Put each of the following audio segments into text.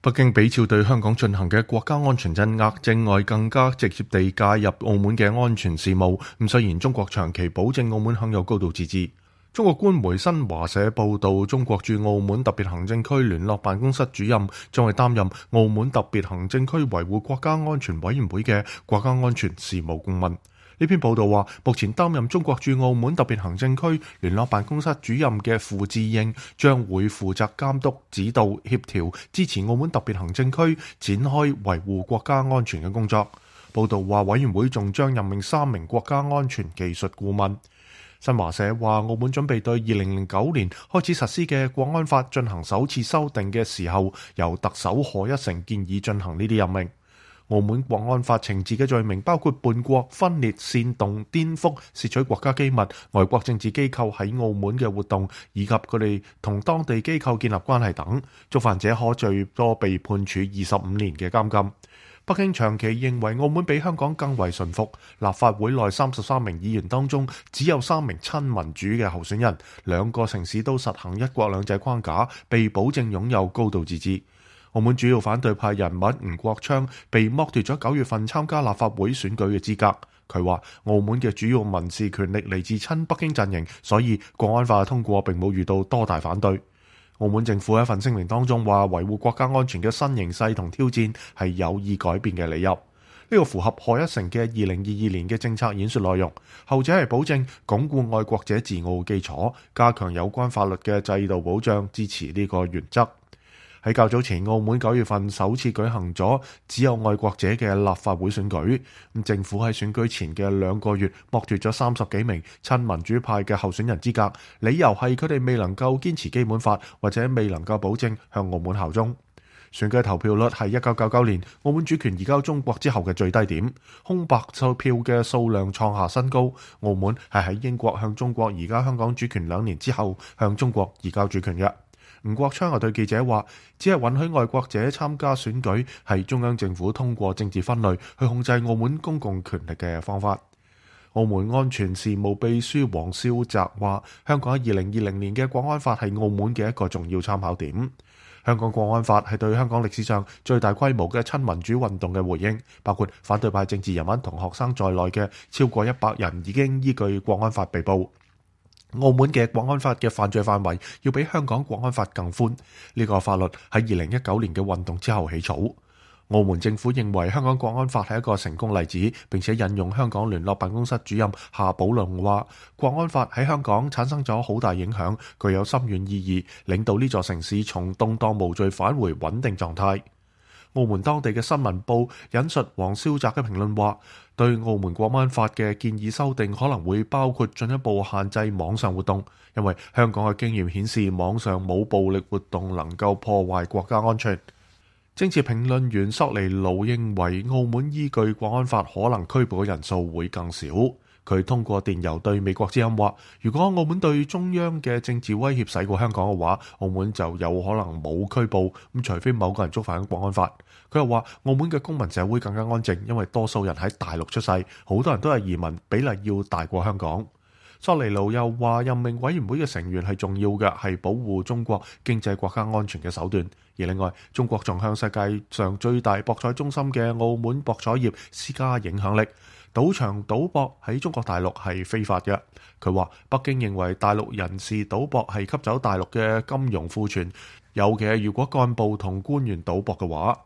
北京比照對香港進行嘅國家安全鎮壓，正外更加直接地介入澳門嘅安全事務。雖然中國長期保證澳門享有高度自治。中國官媒新華社報道，中國駐澳門特別行政區聯絡辦公室主任將會擔任澳門特別行政區維護國家安全委員會嘅國家安全事務顧問。呢篇報道話，目前擔任中國駐澳門特別行政區聯絡辦公室主任嘅傅自應將會負責監督、指導、協調、支持澳門特別行政區展開維護國家安全嘅工作。報道話，委員會仲將任命3名國家安全技術顧問。新華社話，澳門準備對2009年開始實施嘅國安法進行首次修訂嘅時候，由特首賀一誠建議進行呢啲任命。澳門國安法懲治嘅罪名包括叛國、分裂、煽動、顛覆、竊取國家機密、外國政治機構喺澳門嘅活動，以及佢哋同當地機構建立關係等，觸犯者可最多被判處25年嘅監禁。北京長期認為澳門比香港更為順服，立法會內33名議員當中只有3名親民主嘅候選人，2個城市都實行一國兩制框架，被保證擁有高度自治。澳門主要反對派人物吳國昌被剝奪咗9月份參加立法會選舉嘅資格。佢話澳門嘅主要民事權力嚟自親北京陣營，所以國安法通過並冇遇到多大反對。澳門政府喺一份聲明當中話，維護國家安全嘅新形勢同挑戰係有意改變嘅理由。呢個符合賀一誠嘅2022年嘅政策演說內容，後者係保證鞏固愛國者治澳基礎，加強有關法律嘅制度保障，支持呢個原則。喺較早前，澳門9月份首次舉行咗只有愛國者嘅立法會選舉。政府喺選舉前嘅2個月剝奪咗30幾名親民主派嘅候選人資格，理由係佢哋未能夠堅持基本法，或者未能夠保證向澳門效忠。選舉投票率係1999年澳門主權移交中國之後嘅最低點，空白票嘅數量創下新高。澳門係喺英國向中國移交香港主權2年之後向中國移交主權嘅。吳國昌又對記者話，只係允許愛國者參加選舉係中央政府通過政治分類去控制澳門公共權力嘅方法。澳門安全事務秘書黃少澤話，香港喺2020年嘅國安法係澳門嘅一個重要參考點。香港國安法係對香港歷史上最大規模嘅親民主運動嘅回應，包括反對派政治人物同學生在內嘅超過100人已經依據國安法被捕。澳門嘅國安法嘅犯罪範圍要比香港國安法更寬，呢個法律喺2019年嘅運動之後起草。澳門政府認為香港國安法係一個成功例子，並且引用香港聯絡辦公室主任夏寶龍話，國安法喺香港產生咗好大影響，具有深遠意義，領導呢座城市從動盪無序返回穩定狀態。澳門當地嘅新聞報引述黃少澤嘅評論話，對澳門國安法嘅建議修訂可能會包括進一步限制網上活動，因為香港嘅經驗顯示網上冇暴力活動能夠破壞國家安全。政治評論員索尼盧認為澳門依據國安法可能拘捕嘅人數會更少。佢通過電郵對美國之音話，如果澳門對中央嘅政治威脅細過香港嘅話，澳門就有可能冇拘捕，除非某個人觸犯國安法。佢又話，澳門嘅公民社會更加安靜，因為多數人喺大陸出世，好多人都係移民，比例要大過香港。索尼盧又話，任命委員會嘅成員係重要嘅，係保護中國經濟國家安全嘅手段。而另外，中國仲向世界上最大博彩中心嘅澳門博彩業施加影響力。賭場賭博喺中國大陸係非法嘅。佢話，北京認為大陸人士賭博係吸走大陸嘅金融庫存，尤其係如果幹部同官員賭博嘅話。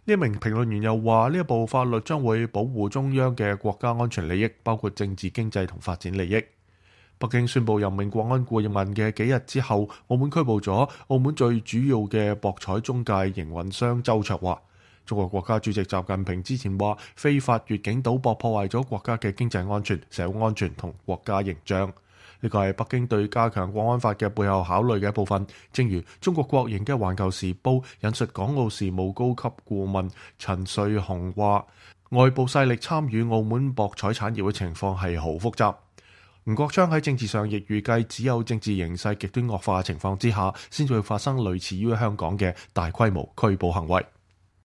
呢一名評論員又話，呢一部法律將會保護中央嘅國家安全利益，包括政治、經濟同發展利益。北京宣布任命國安顧問嘅幾日之後，澳門拘捕咗澳門最主要嘅博彩中介營運商周焯華。中國國家主席習近平之前話，非法越境賭博破壞咗國家嘅經濟安全、社會安全同國家形象。呢個係北京對加強國安法嘅背後考慮嘅一部分。正如中國國營嘅《環球時報》引述港澳事務高級顧問陳瑞雄話，外部勢力參與澳門博彩產業嘅情況係好複雜。吳國昌喺政治上亦預計，只有政治形勢極端惡化嘅情況之下，先至會發生類似於香港嘅大規模拘捕行為。